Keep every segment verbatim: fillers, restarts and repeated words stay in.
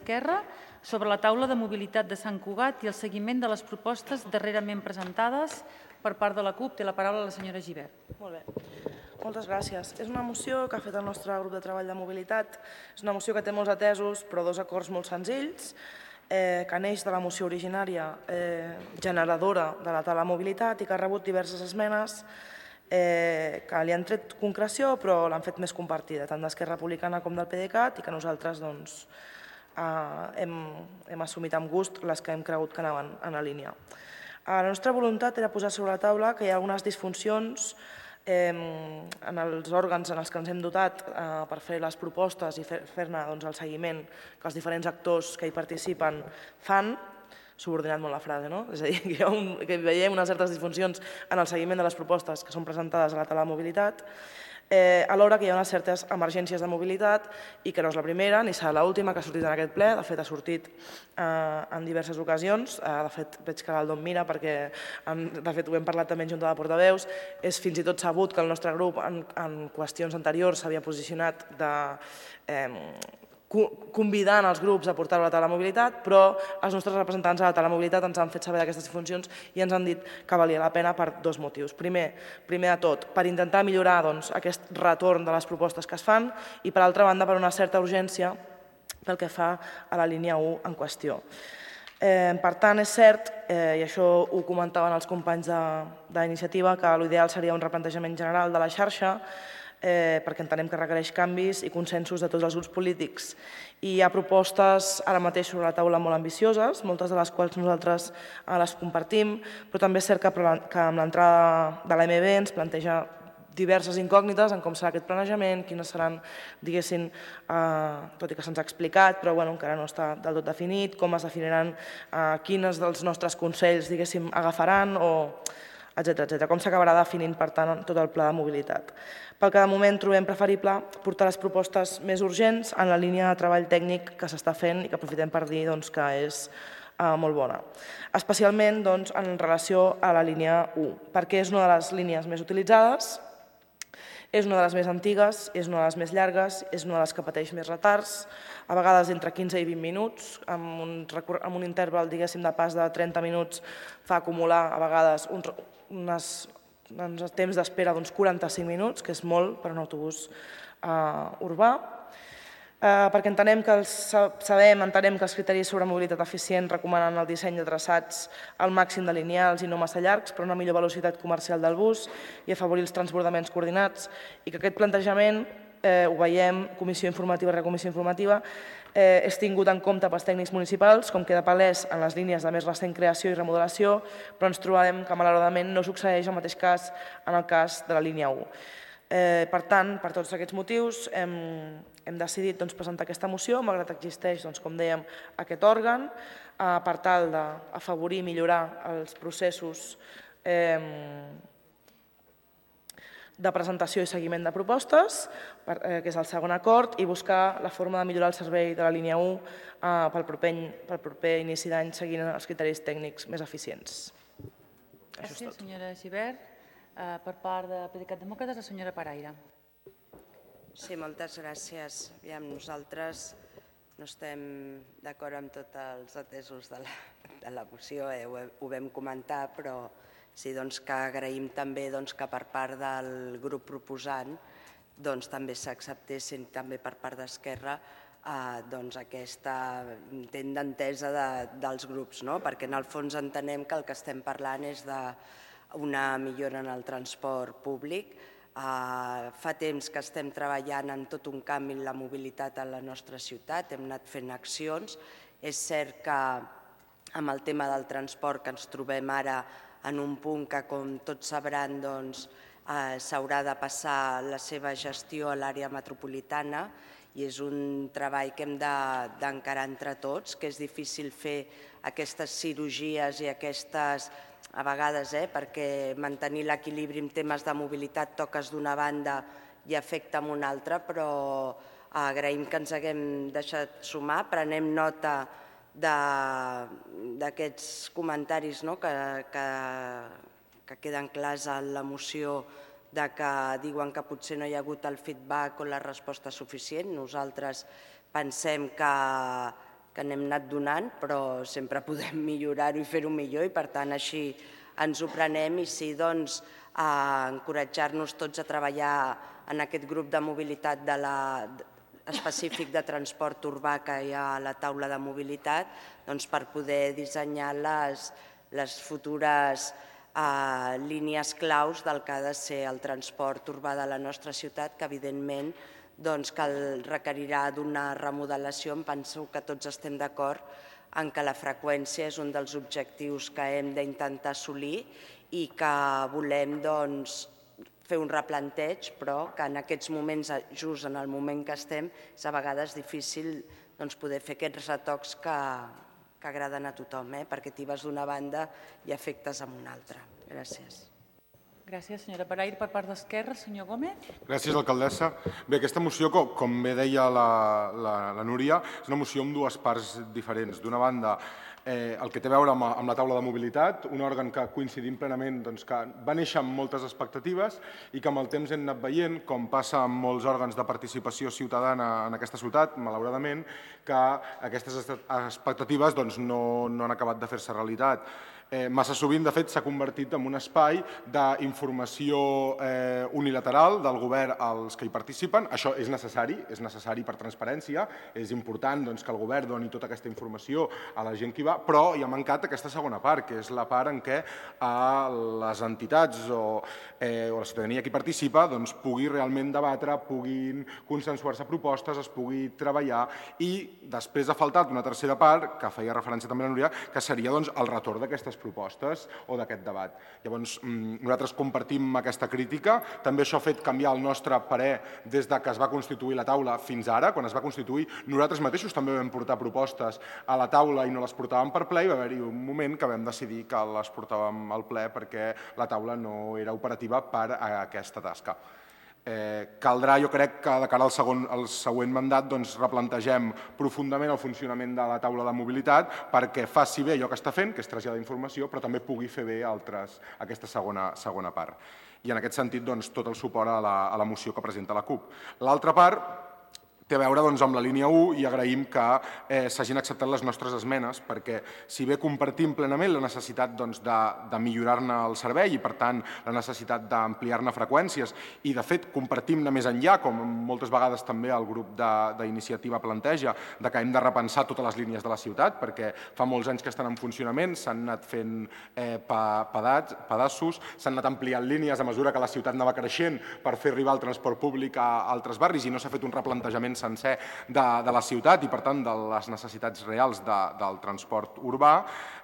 d'Esquerra sobre la taula de mobilitat de Sant Cugat i el seguiment de les propostes darrerament presentades per part de la CUP. Té la paraula la senyora Gibert. Molt bé. Moltes gràcies. És una moció que ha fet el nostre grup de treball de mobilitat. És una moció que té molts atesos, però dos acords molt senzills, eh, que neix de la moció originària eh, generadora de la taula de mobilitat i que ha rebut diverses esmenes eh, que li han tret concreció però l'han fet més compartida, tant d'Esquerra Republicana com del PDeCAT, i que nosaltres doncs, eh, hem, hem assumit amb gust les que hem cregut que anaven en la línia. La nostra voluntat era posar sobre la taula que hi ha algunes disfuncions en els òrgans en els que ens hem dotat per fer les propostes i fer-ne el seguiment que els diferents actors que hi participen fan, subordinat molt la frase, no? És a dir, que veiem unes certes disfuncions en el seguiment de les propostes que són presentades a la taula de mobilitat, alhora que hi ha unes certes emergències de mobilitat i que no és la primera ni serà l'última que ha sortit en aquest ple. De fet, ha sortit en diverses ocasions. De fet, veig que el Don mira perquè de fet ho hem parlat també en Junta de Portaveus. És fins i tot sabut que el nostre grup en qüestions anteriors s'havia posicionat de convidant els grups a portar-ho a la taula de mobilitat, però els nostres representants a la taula de mobilitat ens han fet saber d'aquestes disfuncions i ens han dit que valia la pena per dos motius. Primer, primer de tot, per intentar millorar aquest retorn de les propostes que es fan i, per altra banda, per una certa urgència pel que fa a la línia u en qüestió. Per tant, és cert, i això ho comentaven els companys d'iniciativa, que l'ideal seria un replantejament general de la xarxa, perquè entenem que requereix canvis i consensos de tots els grups polítics. I hi ha propostes ara mateix sobre la taula molt ambicioses, moltes de les quals nosaltres les compartim, però també és cert que amb l'entrada de l'A M B ens planteja diverses incògnites en com serà aquest planejament, quines seran, diguéssim, tot i que se'ns ha explicat, però encara no està del tot definit, com es definiran, quins dels nostres consells, diguéssim, agafaran, etcètera. Com s'acabarà definint, per tant, tot el pla de mobilitat. Pel que de moment trobem preferible portar les propostes més urgents en la línia de treball tècnic que s'està fent i que aprofitem per dir que és molt bona. Especialment en relació a la línia u, perquè és una de les línies més utilitzades, és una de les més antigues, és una de les més llargues, és una de les que pateix més retards, a vegades entre quinze i vint minuts, amb un interval de pas de trenta minuts fa acumular a vegades uns temps d'espera d'uns quaranta-cinc minuts, que és molt per a un autobús urbà, perquè entenem que sabem, entenem que els criteris sobre mobilitat eficient recomanen el disseny de traçats al màxim de lineals i no massa llargs per una millor velocitat comercial del bus i afavorir els transbordaments coordinats, i que aquest plantejament, ho veiem, comissió informativa rere comissió informativa, és tingut en compte pels tècnics municipals, com queda palès en les línies de més recent creació i remodelació, però ens trobem que malauradament no succeeix el mateix cas en el cas de la línia u. Per tant, per tots aquests motius, hem decidit presentar aquesta moció, malgrat que existeix, com dèiem, aquest òrgan, per tal d'afavorir i millorar els processos de presentació i seguiment de propostes, que és el segon acord, i buscar la forma de millorar el servei de la línia u pel proper inici d'any seguint els criteris tècnics més eficients. Gràcies, senyora Gibert. Per part de PDeCAT Demòcrates, la senyora Paraire. Sí, moltes gràcies. Nosaltres no estem d'acord amb tots els atesos de la moció, ho vam comentar, però sí que agraïm també que per part del grup proposant també s'acceptessin també per part d'Esquerra aquest intent d'entesa dels grups, perquè en el fons entenem que el que estem parlant és d'una millora en el transport públic. Fa temps que estem treballant en tot un canvi en la mobilitat a la nostra ciutat, hem anat fent accions. És cert que amb el tema del transport que ens trobem ara en un punt que, com tots sabran, s'haurà de passar la seva gestió a l'àrea metropolitana i és un treball que hem d'encarar entre tots, que és difícil fer aquestes cirurgies i aquestes, a vegades, perquè mantenir l'equilibri en temes de mobilitat toques d'una banda i afecta amb una altra, però agraïm que ens haguem deixat sumar, prenem nota d'aquests comentaris que queden clars en la moció, que diuen que potser no hi ha hagut el feedback o la resposta suficient. Nosaltres pensem que que n'hem anat donant, però sempre podem millorar-ho i fer-ho millor i per tant així ens ho prenem i sí, doncs, a encoratjar-nos tots a treballar en aquest grup de mobilitat de la, específic de transport urbà que hi ha a la taula de mobilitat, doncs, per poder dissenyar les, les futures eh, línies claus del que ha de ser el transport urbà de la nostra ciutat, que evidentment doncs, que el requerirà d'una remodelació. Em penso que tots estem d'acord en que la freqüència és un dels objectius que hem d'intentar assolir i que volem doncs, fer un replanteig, però que en aquests moments, just en el moment que estem, és a vegades difícil doncs, poder fer aquests retocs que, que agraden a tothom, eh? Perquè tibes d'una banda i afectes amb una altra. Gràcies. Gràcies, senyora Paraire. Per part d'Esquerra, senyor Gómez. Gràcies, alcaldessa. Bé, aquesta moció, com, com bé deia la, la, la Núria, és una moció amb dues parts diferents. D'una banda, eh, el que té a veure amb, amb la taula de mobilitat, un òrgan que coincidim plenament doncs, que va néixer amb moltes expectatives i que amb el temps hem anat veient, com passa amb molts òrgans de participació ciutadana en aquesta ciutat, malauradament, que aquestes expectatives doncs, no, no han acabat de fer-se realitat. Eh, massa sovint, de fet, s'ha convertit en un espai d'informació eh, unilateral del govern als que hi participen. Això és necessari, és necessari per transparència, és important doncs, que el govern doni tota aquesta informació a la gent que hi va, però hi ha mancat aquesta segona part, que és la part en què eh, les entitats o, eh, o la ciutadania que hi participa doncs, pugui realment debatre, puguin consensuar-se propostes, es pugui treballar i després ha faltat una tercera part, que feia referència també a la Núria, que seria doncs, el retorn d'aquestes propostes o d'aquest debat. Llavors, nosaltres compartim aquesta crítica. També això ha fet canviar el nostre parer des de que es va constituir la taula fins ara. Quan es va constituir, nosaltres mateixos també vam portar propostes a la taula i no les portàvem per ple i va haver-hi un moment que vam decidir que les portàvem al ple perquè la taula no era operativa per a aquesta tasca. Eh, caldrà, jo crec, que de cara al, segon, al següent mandat doncs, replantegem profundament el funcionament de la taula de mobilitat perquè faci bé allò que està fent, que és traslladar informació, però també pugui fer bé altres, aquesta segona, segona part. I en aquest sentit, doncs, tot el suport a la, a la moció que presenta la CUP. L'altra part té a veure doncs, amb la línia u i agraïm que eh, s'hagin acceptat les nostres esmenes perquè si bé compartim plenament la necessitat doncs, de, de millorar-ne el servei i per tant la necessitat d'ampliar-ne freqüències i de fet compartim-ne més enllà, com moltes vegades també el grup d'iniciativa planteja, de que hem de repensar totes les línies de la ciutat perquè fa molts anys que estan en funcionament, s'han anat fent eh, pedats, pedaços, s'han anat ampliant línies a mesura que la ciutat anava creixent per fer arribar el transport públic a altres barris i no s'ha fet un replantejament sencer de, de la ciutat i, per tant, de les necessitats reals de, del transport urbà.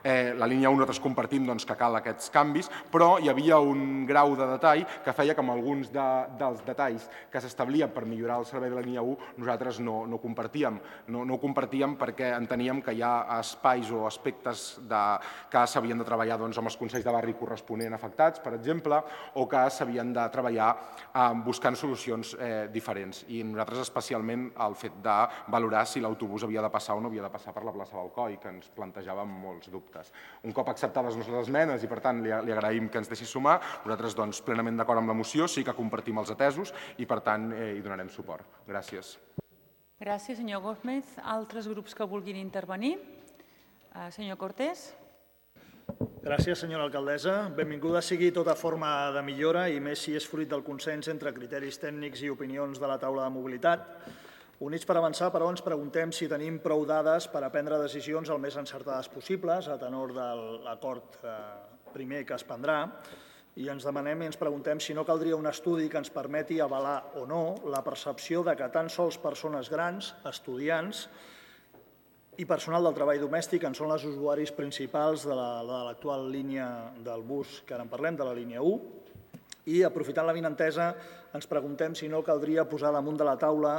Eh, la línia u nosaltres compartim doncs, que cal aquests canvis, però hi havia un grau de detall que feia que amb alguns de, dels detalls que s'establien per millorar el servei de la línia u nosaltres no, no compartíem. No, no ho compartíem perquè enteníem que hi ha espais o aspectes de, que s'havien de treballar doncs, amb els consells de barri corresponent afectats, per exemple, o que s'havien de treballar eh, buscant solucions eh, diferents. I nosaltres especialment el fet de valorar si l'autobús havia de passar o no havia de passar per la plaça Balcoi, que ens plantejàvem molts dubtes. Un cop acceptades les nostres esmenes i, per tant, li, li agraïm que ens deixi sumar, nosaltres doncs, plenament d'acord amb la moció, sí que compartim els atesos i, per tant, eh, hi donarem suport. Gràcies. Gràcies, senyor Gómez. Altres grups que vulguin intervenir? Uh, senyor Cortés. Gràcies, senyora alcaldessa. Benvinguda sigui tota forma de millora i més si és fruit del consens entre criteris tècnics i opinions de la taula de mobilitat. Units per avançar, però, ens preguntem si tenim prou dades per a prendre decisions el més encertades possibles, a tenor de l'acord primer que es prendrà, i ens demanem i ens preguntem si no caldria un estudi que ens permeti avalar o no la percepció de que tan sols persones grans, estudiants i personal del treball domèstic en són els usuaris principals de l'actual línia del bus que ara en parlem, de la línia u, i aprofitant la vinentesa ens preguntem si no caldria posar damunt de la taula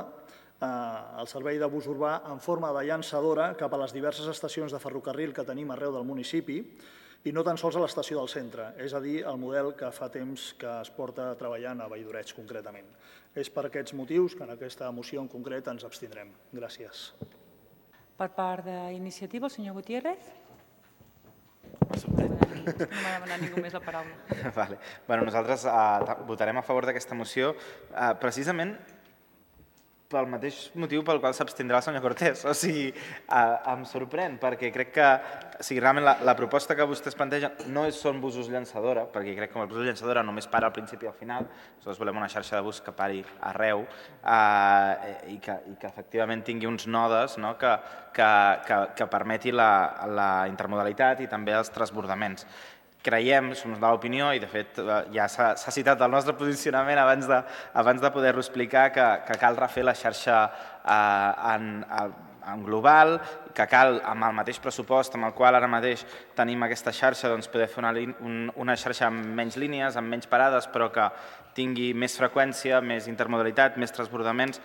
el servei de bus urbà en forma de llançadora cap a les diverses estacions de ferrocarril que tenim arreu del municipi i no tan sols a l'estació del centre, és a dir, el model que fa temps que es porta treballant a Valldoreig concretament. És per aquests motius que en aquesta moció en concret ens abstindrem. Gràcies. Per part d'iniciativa, el senyor Gutiérrez. No m'ha demanat ningú més la paraula. Vale. Bueno, nosaltres uh, votarem a favor d'aquesta moció uh, precisament pel mateix motiu pel qual s'abstindrà el senyor Cortés. O sigui, em sorprèn, perquè crec que realment la proposta que vostès plantegen no són busos llançadora, perquè crec que el bus llançadora només para al principi i al final. Nosaltres volem una xarxa de bus que pari arreu i que efectivament tingui uns nodes que permeti la intermodalitat i també els transbordaments. Creiem, som de l'opinió, i de fet ja s'ha citat el nostre posicionament abans de poder-lo explicar, que cal refer la xarxa en global, que cal, amb el mateix pressupost amb el qual ara mateix tenim aquesta xarxa, poder fer una xarxa amb menys línies, amb menys parades, però que tingui més freqüència, més intermodalitat, més transbordaments,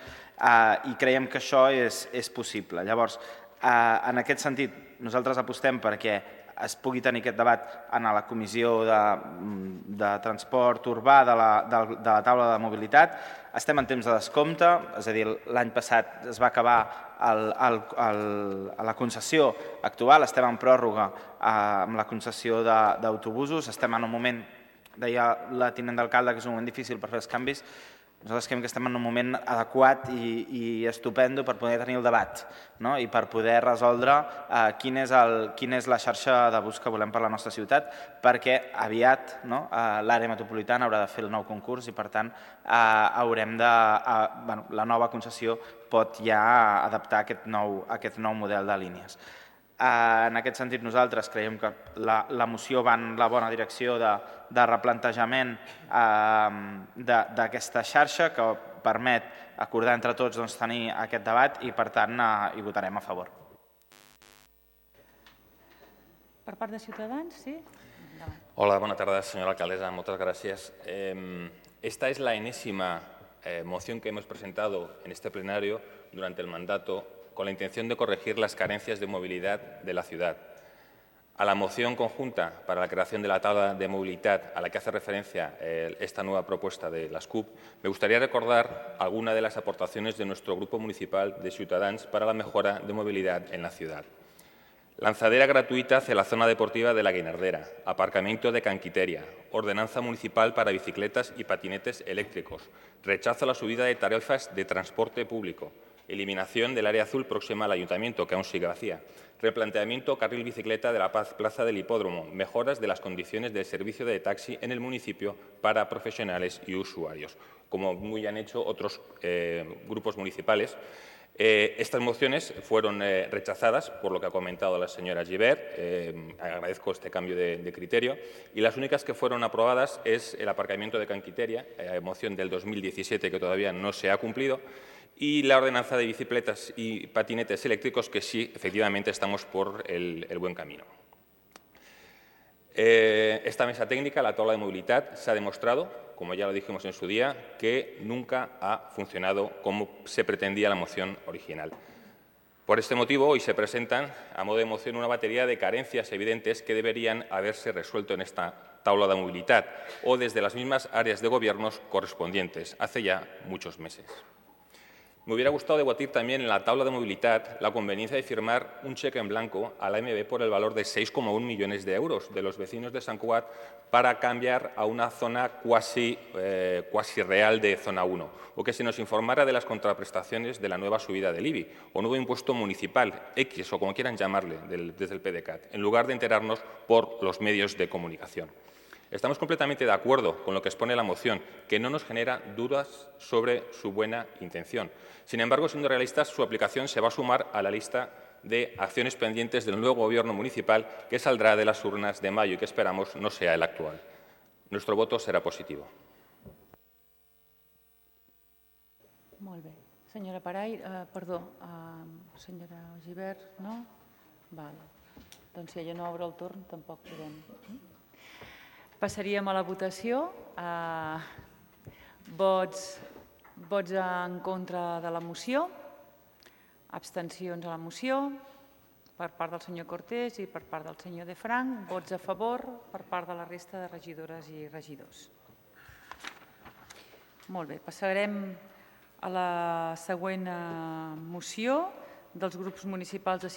i creiem que això és possible. Llavors, en aquest sentit, nosaltres apostem perquè es pugui tenir aquest debat en la Comissió de Transport Urbà de la taula de mobilitat. Estem en temps de descompte, és a dir, l'any passat es va acabar la concessió actual, estem en pròrroga amb la concessió d'autobusos, estem en un moment, deia la tinent d'alcalde, que és un moment difícil per fer els canvis. Nosaltres creiem que estem en un moment adequat i estupendo per poder tenir el debat i per poder resoldre quina és la xarxa de bus que volem per a la nostra ciutat, perquè aviat l'àrea metropolitana haurà de fer el nou concurs i, per tant, haurem de... la nova concessió pot ja adaptar aquest nou model de línies. En aquest sentit, nosaltres creiem que la moció va en la bona direcció de replantejament d'aquesta xarxa que permet acordar entre tots tenir aquest debat i, per tant, hi votarem a favor. Per part de Ciutadans, sí? Hola, bona tarda, senyora alcaldesa. Muchas gracias. Esta es la enésima moción que hemos presentado en este plenario durante el mandato con la intención de corregir las carencias de movilidad de la ciudad. A la moción conjunta para la creación de la tabla de movilidad a la que hace referencia esta nueva propuesta de las C U P, me gustaría recordar algunas de las aportaciones de nuestro Grupo Municipal de Ciutadans para la mejora de movilidad en la ciudad. Lanzadera gratuita hacia la zona deportiva de la Guinardera, aparcamiento de Canquiteria, ordenanza municipal para bicicletas y patinetes eléctricos, rechazo a la subida de tarifas de transporte público, eliminación del área azul próxima al ayuntamiento, que aún sigue vacía, replanteamiento carril bicicleta de la plaza del hipódromo, mejoras de las condiciones del servicio de taxi en el municipio para profesionales y usuarios, como muy han hecho otros eh, grupos municipales. Eh, estas mociones fueron eh, rechazadas por lo que ha comentado la señora Gibert. Eh, agradezco este cambio de, de criterio. Y las únicas que fueron aprobadas es el aparcamiento de Canquiteria, eh, moción del dos mil diecisiete que todavía no se ha cumplido, y la ordenanza de bicicletas y patinetes eléctricos, que sí, efectivamente, estamos por el, el buen camino. Eh, esta mesa técnica, la tabla de movilidad, se ha demostrado, como ya lo dijimos en su día, que nunca ha funcionado como se pretendía la moción original. Por este motivo, hoy se presentan a modo de moción una batería de carencias evidentes que deberían haberse resuelto en esta tabla de movilidad o desde las mismas áreas de gobiernos correspondientes, hace ya muchos meses. Me hubiera gustado debatir también en la tabla de movilidad la conveniencia de firmar un cheque en blanco a la M B por el valor de seis coma uno millones de euros de los vecinos de Sant Cugat para cambiar a una zona cuasi, eh, cuasi real de zona uno, o que se nos informara de las contraprestaciones de la nueva subida del I B I o nuevo impuesto municipal, X o como quieran llamarle, del, desde el P D C A T, en lugar de enterarnos por los medios de comunicación. Estamos completamente de acuerdo con lo que expone la moción, que no nos genera dudas sobre su buena intención. Sin embargo, siendo realistas, su aplicación se va a sumar a la lista de acciones pendientes del nuevo Gobierno municipal que saldrá de las urnas de mayo y que esperamos no sea el actual. Nuestro voto será positivo. Molt bé. Senyora Paray, eh, perdó, eh, senyora Gibert, no? Val. Doncs si ella no obre el torn, tampoc podem. Passaríem a la votació. Vots, vots en contra de la moció, abstencions a la moció per part del senyor Cortés i per part del senyor De Frank, vots a favor per part de la resta de regidores i regidors. Molt bé, passarem a la següent moció dels grups municipals de